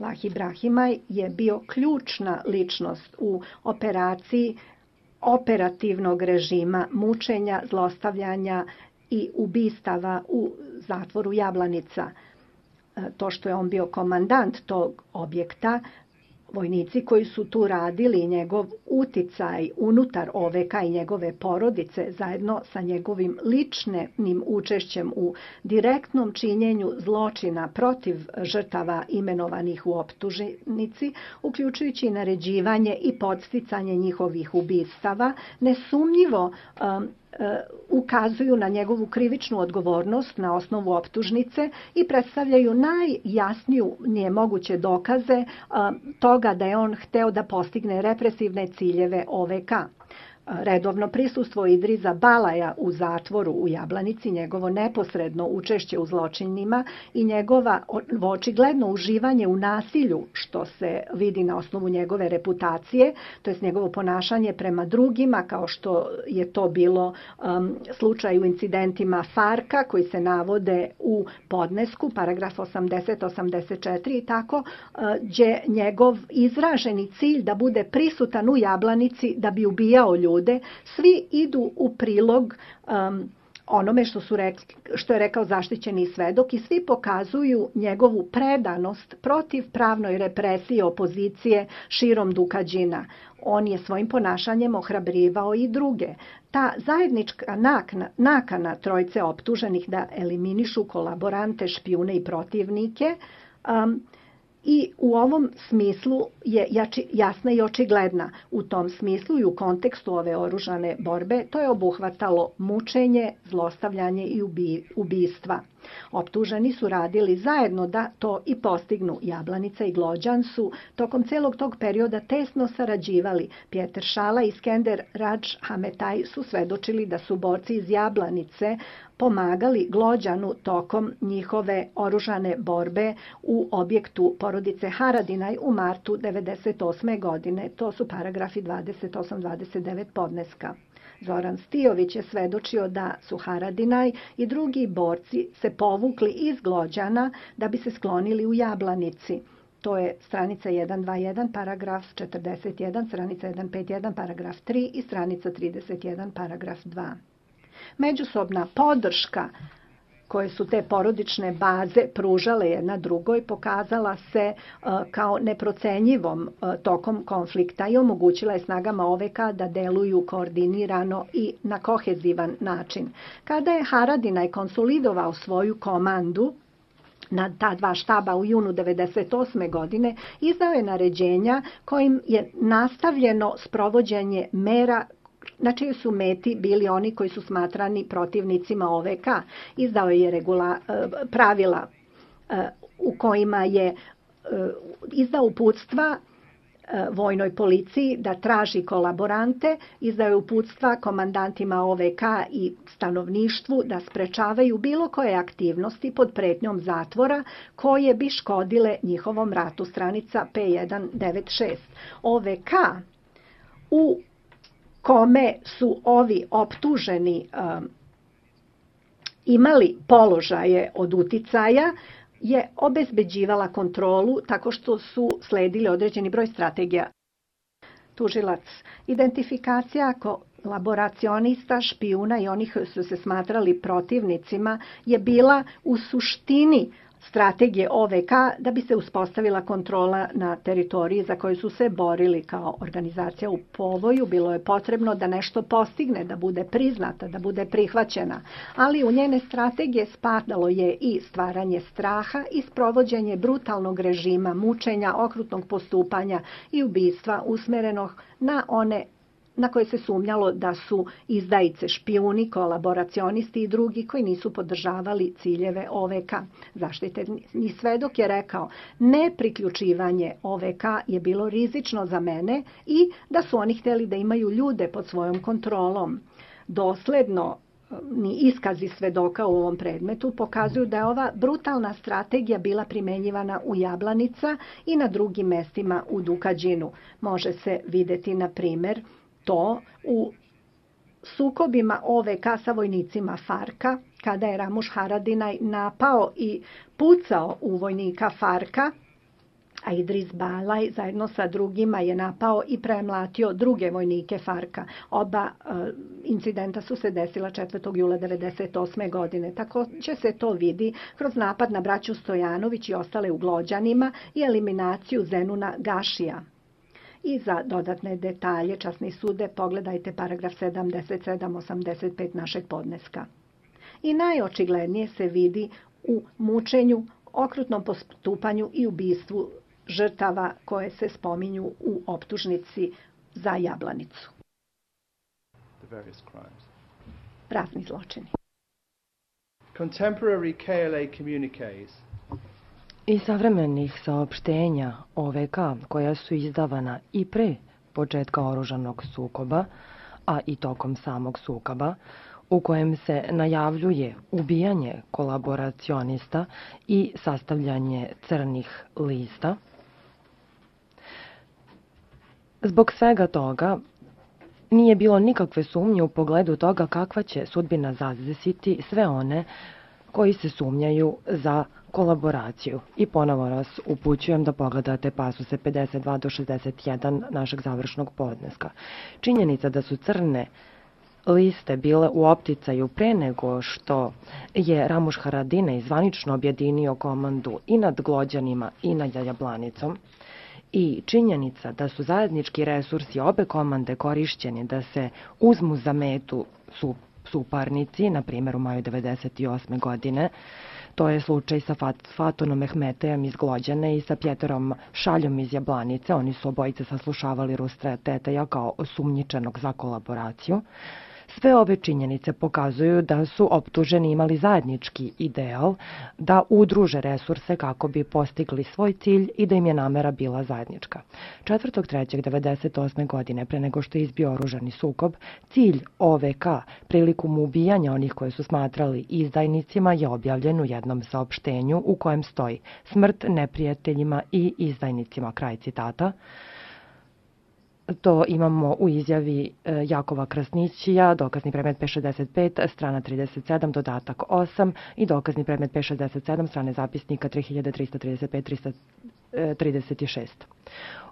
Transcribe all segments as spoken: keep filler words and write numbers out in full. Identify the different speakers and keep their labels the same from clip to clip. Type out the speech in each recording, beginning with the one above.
Speaker 1: Lah Ibrahimaj je bio ključna ličnost u operaciji operativnog režima mučenja, zlostavljanja i ubistava u zatvoru Jablanica. To što je on bio komandant tog objekta, vojnici koji su tu radili, njegov uticaj unutar O V K i njegove porodice zajedno sa njegovim ličnim učešćem u direktnom činjenju zločina protiv žrtava imenovanih u optužnici, uključujući i naređivanje i podsticanje njihovih ubistava, nesumnjivo um, ukazuju na njegovu krivičnu odgovornost na osnovu optužnice i predstavljaju najjasniju nije moguće dokaze toga da je on hteo da postigne represivne ciljeve O V K. Redovno prisustvo Idriza Balaja u zatvoru u Jablanici, njegovo neposredno učešće u zločinima i njegova očigledno uživanje u nasilju, što se vidi na osnovu njegove reputacije, to je njegovo ponašanje prema drugima, kao što je to bilo um, slučaj u incidentima Farka koji se navode u podnesku, paragraf osamdeset osamdeset četiri i tako, uh, gdje njegov izraženi cilj da bude prisutan u Jablanici da bi ubijao ljude, svi idu u prilog um, onome što, su rekli, što je rekao zaštićeni svedok i svi pokazuju njegovu predanost protiv pravnoj represiji opozicije širom Dukađina. On je svojim ponašanjem ohrabrivao i druge. Ta zajednička nakana, nakana trojce optuženih da eliminišu kolaborante, špijune i protivnike um, i u ovom smislu je jasna i očigledna. U tom smislu i u kontekstu ove oružane borbe to je obuhvatalo mučenje, zlostavljanje i ubistva. Optuženi su radili zajedno da to i postignu. Jablanica i Glođan su tokom celog tog perioda tesno sarađivali. Pjeter Šala i Skender Radž Hametaj su svedočili da su borci iz Jablanice pomagali Glođanu tokom njihove oružane borbe u objektu porodice Haradinaj u martu devedeset osme godine. To su paragrafi dvadeset osam dvadeset devet podneska. Zoran Stijović je svedočio da su Haradinaj i drugi borci se povukli iz Glođana da bi se sklonili u Jablanici. To je stranica sto dvadeset jedan, paragraf četrdeset jedan, stranica sto pedeset jedan, paragraf tri i stranica trideset jedan, paragraf dva. Međusobna podrška koje su te porodične baze pružale jedna drugoj pokazala se uh, kao neprocenjivom uh, tokom konflikta i omogućila je snagama O V K da deluju koordinirano i na kohezivan način. Kada je Haradinaj konsolidovao svoju komandu na ta dva štaba u junu devedeset osme godine, izdao je naređenja kojim je nastavljeno sprovođenje mera na čijoj su meti bili oni koji su smatrani protivnicima O V K. Izdao je regula, pravila u kojima je izdao uputstva vojnoj policiji da traži kolaborante, izdao je uputstva komandantima O V K i stanovništvu da sprečavaju bilo koje aktivnosti pod pretnjom zatvora koje bi škodile njihovom ratu. Stranica P sto devedeset šest. O V K u kome su ovi optuženi um, imali položaje od uticaja, je obezbeđivala kontrolu tako što su sledili određeni broj strategija. Tužilac, identifikacija kolaboracionista, špijuna i onih koji su se smatrali protivnicima je bila u suštini strategije O V K da bi se uspostavila kontrola na teritoriji za koju su se borili kao organizacija u povoju. Bilo je potrebno da nešto postigne, da bude priznata, da bude prihvaćena. Ali u njene strategije spadalo je i stvaranje straha i sprovođenje brutalnog režima, mučenja, okrutnog postupanja i ubistva usmerenog na one na koje se sumnjalo da su izdajice, špijuni, kolaboracionisti i drugi koji nisu podržavali ciljeve O V K. Zaštiteni svedok je rekao, nepriključivanje O V K je bilo rizično za mene i da su oni htjeli da imaju ljude pod svojom kontrolom. Dosledno ni iskazi svedoka u ovom predmetu pokazuju da je ova brutalna strategija bila primenjivana u Jablanica i na drugim mestima u Dukađinu. Može se vidjeti, na primjer, to u sukobima O V K sa vojnicima Farka, kada je Ramuš Haradinaj napao i pucao u vojnika Farka a Idris Balaj zajedno sa drugima je napao i premlatio druge vojnike Farka. Oba e, incidenta su se desila četvrtog jula devedeset osme. godine. Također se to vidi kroz napad na braću Stojanović i ostale u Glođanima i eliminaciju Zenuna Gašija. I za dodatne detalje, časni sude, pogledajte paragraf sedamdeset sedam osamdeset pet našeg podneska. I najočiglednije se vidi u mučenju, okrutnom postupanju i ubistvu žrtava koje se spominju u optužnici za Jablanicu. Razni zločini.
Speaker 2: Contemporary K L A communiques
Speaker 3: Iz savremenih saopštenja O V K koja su izdavana i pre početka oružanog sukoba, a i tokom samog sukoba, u kojem se najavljuje ubijanje kolaboracionista i sastavljanje crnih lista. Zbog svega toga nije bilo nikakve sumnje u pogledu toga kakva će sudbina zadesiti sve one koji se sumnjaju za kolaboraciju. I ponovo vas upućujem da pogledate pasuse pedeset dva do šezdeset jedan našeg završnog podneska. Činjenica da su crne liste bile u opticaju pre nego što je Ramuš Haradinaj zvanično objedinio komandu i nad Glođanima i nad Jablanicom, i činjenica da su zajednički resursi obe komande korišćeni da se uzmu za metu su suparnici, na primjer u maju devedeset osme. godine. To je slučaj sa Fat, Fatunom Mehmetejem iz Glođane i sa Pjeterom Šaljom iz Jablanice. Oni su obojice saslušavali Rustra Teteja kao osumnjičenog za kolaboraciju. Sve ove činjenice pokazuju da su optuženi imali zajednički ideal da udruže resurse kako bi postigli svoj cilj i da im je namera bila zajednička. četvrtog trećeg devedeset osme. godine, pre nego što je izbio oružani sukob, cilj O V K prilikom ubijanja onih koje su smatrali izdajnicima je objavljen u jednom saopštenju u kojem stoji smrt neprijateljima i izdajnicima, kraj citata. To imamo u izjavi Jakova Krasnićija, dokazni predmet P šezdeset pet, strana trideset sedam, dodatak osam i dokazni predmet P šezdeset sedam, strane zapisnika tri hiljade trista trideset pet do trista trideset šest.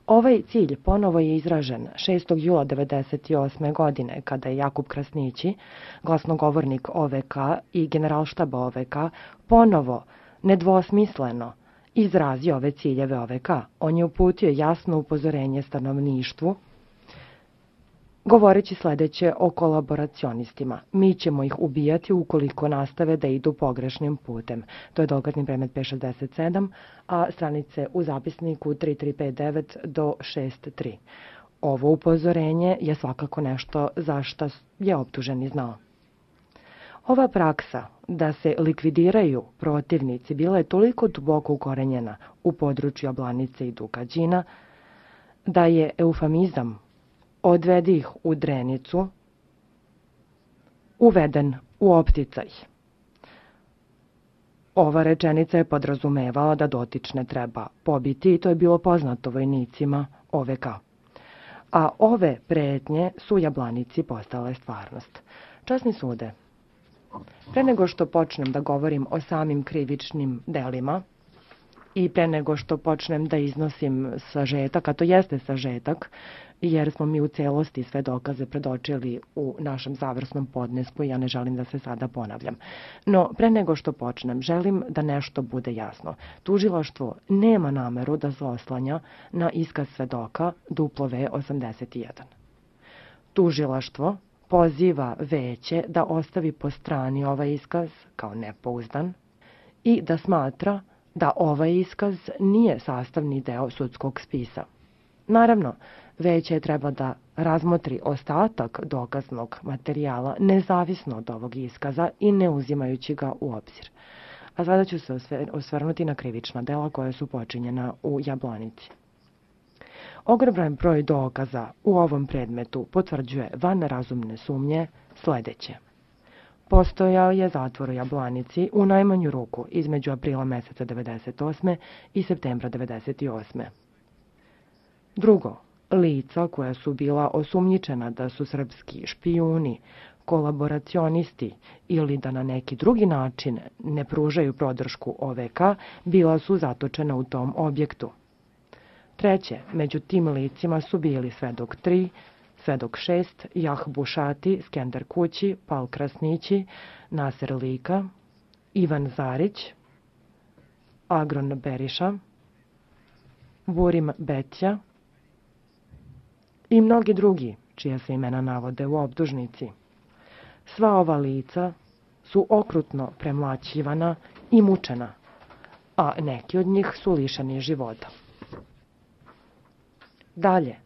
Speaker 3: Ovaj cilj ponovo je izražen šestog jula devedeset osme. godine, kada je Jakub Krasnići, glasnogovornik O V K i generalštaba O V K, ponovo nedvosmisleno izrazio ove ciljeve O V K. On je uputio jasno upozorenje stanovništvu, govoreći sledeće o kolaboracionistima. Mi ćemo ih ubijati ukoliko nastave da idu pogrešnim putem. To je dokazni predmet P šezdeset sedam, a stranice u zapisniku tri tri pet devet do šest tri. Ovo upozorenje je svakako nešto za što je optuženi znao. Ova praksa da se likvidiraju protivnici bila je toliko duboko ukorenjena u području Jablanice i Dukađina da je eufemizam odvedi ih u Drenicu uveden u opticaj. Ova rečenica je podrazumevala da dotične treba pobiti i to je bilo poznato vojnicima O V K. A ove pretnje su Jablanici postale stvarnost. Časni sude, pre nego što počnem da govorim o samim krivičnim delima i pre nego što počnem da iznosim sažetak, a to jeste sažetak, jer smo mi u celosti sve dokaze predočili u našem završnom podnesku i ja ne želim da se sada ponavljam. No, pre nego što počnem, želim da nešto bude jasno. Tužilaštvo nema nameru da se oslanja na iskaz svedoka W osamdeset jedan. Tužilaštvo poziva veće da ostavi po strani ovaj iskaz kao nepouzdan i da smatra da ovaj iskaz nije sastavni deo sudskog spisa. Naravno, veće treba da razmotri ostatak dokaznog materijala nezavisno od ovog iskaza i ne uzimajući ga u obzir. A sada ću se osvrnuti na krivična dela koja su počinjena u Jablanici. Ogroman broj dokaza u ovom predmetu potvrđuje van razumne sumnje sledeće. Postojao je zatvor u Jablanici u najmanju ruku između aprila meseca devedeset osme i septembra devedeset osme. Drugo, lica koja su bila osumnjičena da su srpski špijuni, kolaboracionisti ili da na neki drugi način ne pružaju podršku O V K, bila su zatočena u tom objektu. Treće, među tim licima su bili Svedok tri, Svedok šest, Jah Bušati, Skender Kući, Pal Krasnići, Naser Lika, Ivan Zarić, Agron Beriša, Burim Betja i mnogi drugi, čija se imena navode u optužnici. Sva ova lica su okrutno premlaćivana i mučena, a neki od njih su lišeni života. Dalje,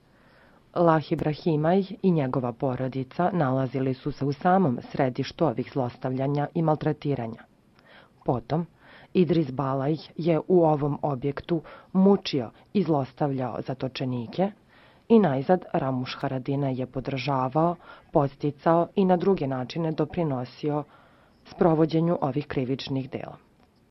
Speaker 3: Lah Ibrahimaj i njegova porodica nalazili su se u samom središtu ovih zlostavljanja i maltretiranja. Potom, Idris Balaj je u ovom objektu mučio i zlostavljao zatočenike i najzad Ramuš Haradinaj je podržavao, podsticao i na druge načine doprinosio sprovođenju ovih krivičnih dela.